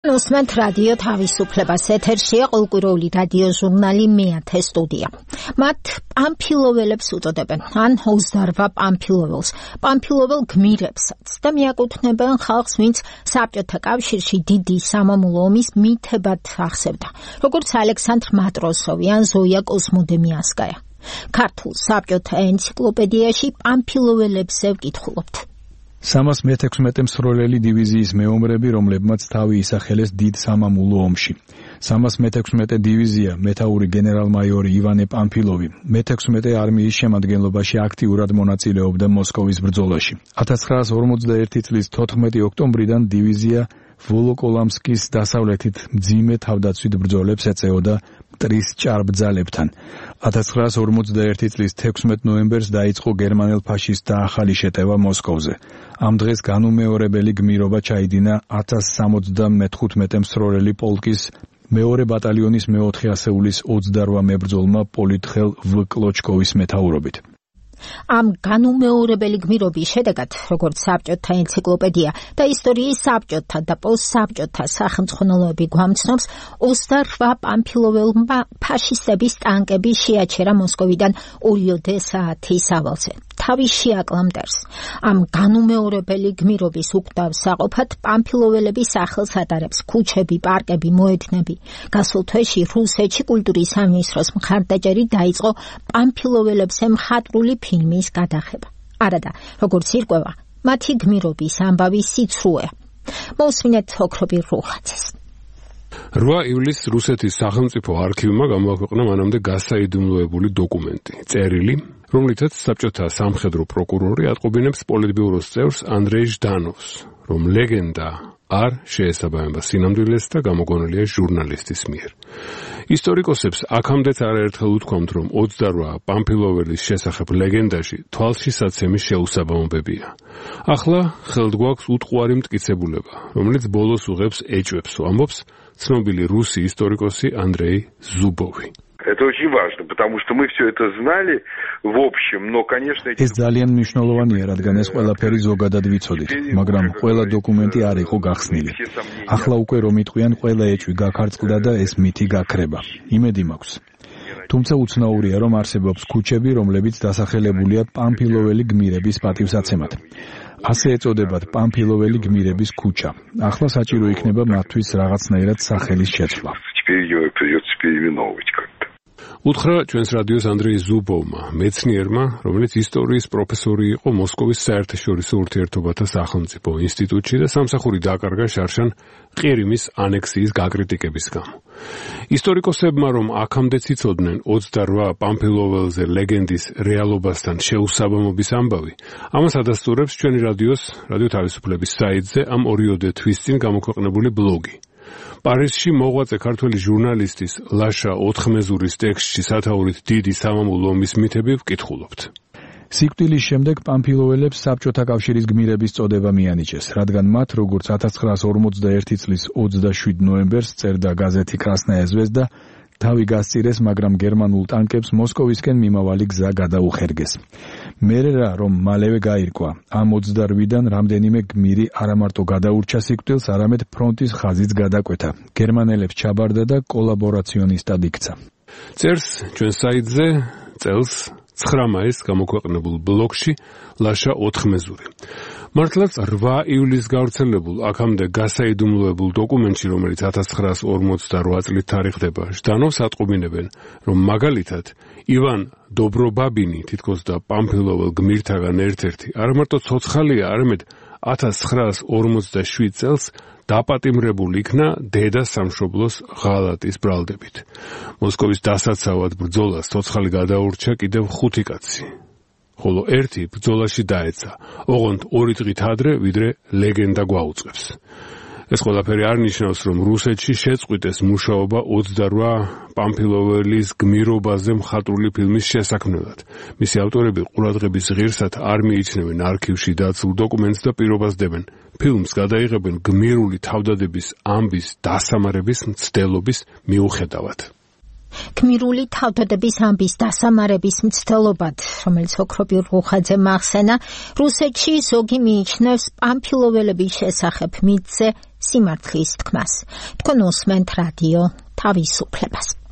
Უსმენთ რადიო თავისუფლებას, ეთერშია ყოველკვირეული რადიო ჟურნალი მეათე სტუდია. მათ პამფილოველებს უწოდებენ, ან 28 პამფილოველს, პამფილოվել გმირებსაც და მიაკუთვნებენ ხალხს, ვინც საბჭოთა კავშირში დიდი სამამულო ომის მითებად ახსევდა, როგორც ალექსანდრ მატროსოვი ან ზოია კოსმოდემიასკაია. ქართულ საბჭოთა ენციკლოპედიაში პამფილოველებზე ვკითხულობთ. 316 მსროლელი დივიზიის მეომრები, რომლებმაც თავი ისახელეს დიდ სამამულო ომში. 316 დივიზია, მეთაური გენერალ-მაიორი ივანე პამფილოვი, მე-16 არმიის შემადგენლობაში აქტიურად მონაწილეობდა მოსკოვის ბრძოლაში. 1941 წლის 14 ოქტომბრიდან დივიზია ვოლოკოლამსკის დასავლეთით მძიმე თავდაცვით ბრძოლებს ეწეოდა მტრის ჭარბძალებთან. 1941 წლის 16 ნოემბერს დაიწყო გერმანელ-ფაშისტთა ახალი შეტევა მოსკოვზე. ამ დღეს განუმეორებელი გმირობა ჩაიდინა 1075 მსროლელი პოლკის მეორე ბატალიონის მე-4 ასეულის 28 მებრძოლმა პოლიტხელ ვ. კლოჩკოვის მეთაურობით. ამ განუმეორებელი გმირობის შედეგად, როგორც საბჭოთა ენციკლოპედია და ისტორიის საბჭოთა და პოსტსაბჭოთა სახელმძღვანელოები გვამცნობს, 28 პამფილოველმა ფაშისტების ტანკები შეაჩერა მოსკოვიდან 2 საათის ავალზე. თავი შეაკლა მტერს. ამ განუმეორებელი გმირობის უკვდავ საყოფად პამფილოველების სახელს ატარებს ქუჩები, პარკები, მოედნები. გასულ თვეში რუსეთში კულტურის სამინისტროს მხარდაჭერით დაიწყო პამფილოველებზე მხატვრული ფილმის გადაღება. არადა, როგორც ირკვევა, მათი გმირობის ამბავი სიცრუეა. მოусმინეთ ოქრობილ რუხაძეს. 8 ივლისს რუსეთის სახელმწიფო არქივმა გამოაქვეყნა მანამდე გასაიდუმლოებული დოკუმენტი, წერილი, რომლითაც საბჭოთა სამხედრო პროკურორი ატყობინებს პოლიტბიუროს წევრს ანდრეი ჟდანოვს, რომ ლეგენდა არ შეესაბამება სინამდვილეს და გამოგონილია ჟურნალისტის მიერ. ისტორიკოსებს აქამდეც არაერთხელ უთქვამთ, რომ 28 პამფილოველის შესახებ ლეგენდაში თვალშისაცემის შეუსაბამობებია. ახლა ხელთ გვაქვს უტყუარი მტკიცებულება, რომელიც ბოლოს უღებს ეჭვებს, ამბობს ცნობილი რუსი ისტორიკოსი ანდრეი ზუბოვი. Это очень важно, потому что мы все это знали в общем, но, конечно... ეს ძალიან მნიშვნელოვანია, რადგან ეს ყველაფერი ზოგადად ვიცოდით, მაგრამ ყველა დოკუმენტი არ იყო გახსნილი. ახლა უკვე რომ იტყვიან, ყველა ეჭვი გაქარწყლდა და ეს მითი გაქრება. იმედი მაქვს. თუმცა უცნაურია, რომ არსებობს ქუჩები, რომლებიც დასახელებულია პამფილოველი გმირების პატივსაცემად. ასე ეწოდებათ პამფილოველი გმირების ქუჩა. ახლა საჭირო იქნება მათთვის რაღაცნაირად სახელის შეცვლა. უთხრა ჩვენს რადიოს ანდრეი ზუბოვმა, მეცნიერმა, რომელიც ისტორიის პროფესორი იყო მოსკოვის საერთაშორისო ურთიერთობათა სახელმწიფო ინსტიტუტში და სამსახური დააკარგა შარშან ყირიმის ანექსიის გაკრიტიკების გამო. ისტორიკოსებმა, რომ აქამდეც იცოდნენ 28 პამფილოველზე ლეგენდის რეალობასთან შეუსაბამობის ამბავი, ამას ადასტურებს ჩვენი რადიო თავისუფლების საიტზე ამ 2 თვის წინ გამოქვეყნებული ბლოგი. პარიზში მოღვაწე ქართველი ჟურნალისტის ლაშა ოთხმეზურის ტექსტში სათაურით დიდი სამამულო ომის მითები ვკითხულობთ. სიკვდილის შემდეგ პამფილოველებს საბჭოთა კავშირის გმირების წოდება მიანიჭეს, რადგან მათ, როგორც 1941 წლის 27 ნოემბერს წერდა გაზეთი კრასნაია ზვეზდა, თავი გასწირეს, მაგრამ გერმანულ ტანკებს მოსკოვისკენ მიმავალი გზა გადაუხერგეს. მერე რა, რომ მალევე გაირკვა, ამ 28-დან რამდენიმე გმირი არამარტო გადაურჩა სიკვდილს, არამედ ფრონტის ხაზიც გადაკვეთა. გერმანელებს ჩაბარდა და კოლაბორაციონისტად იქცა. წერს ჩვენ საიტზე წელს 9 მაისს გამოქვეყნებულ ბლოგში ლაშა ოთხმეზური. მართლაც 8 ივლისს გავრცელებულ აქამდე გასაიდუმლოებულ დოკუმენტში, რომელიც 1948 წლით თარიღდება, ჟდანოვს ატყობინებენ, რომ მაგალითად ივან დობრობაბინი, თითქოს და პამფილოվել გმირთაგან ერთ-ერთი, არამარტო ცოცხალია, არამედ 1947 წელს დაპატიმრებული იქნა დედა სამშობლოს ღალატის ბრალდებით. მოსკოვის დასაცავად ბრძოლას ცოცხალი გადაურჩა კიდევ 5 კაცი. ხოლო ერთი ბრძოლაში დაეცა, ოღონდ 2 დღით ადრე, ვიდრე ლეგენდა გვაუწყებს. ეს ყველაფერი არ ნიშნავს, რომ რუსეთში შეწყვიტეს მუშაობა 28 პამფილოველის გმირობაზე მხატვრული ფილმის შესაქმნელად. მისი ავტორები ყურადღების ღირსად არ მიიჩნევენ არქივში დაცულ დოკუმენტს და პირობას დებენ. ფილმს გადაიღებენ გმირული თავდადების ამბის დასამარების მცდელობის მიუხედავად. გმირული თავდადების ამბის დასამარების მცდელობად, რომელიც ოქრობირ რუხაძე მახსენა, რუსეთში ზოგი მიიჩნევს პამფილოველების შესახებ მითზე სიმართლის თქმას. თქვენ უსმენთ რადიო თავისუფლებას.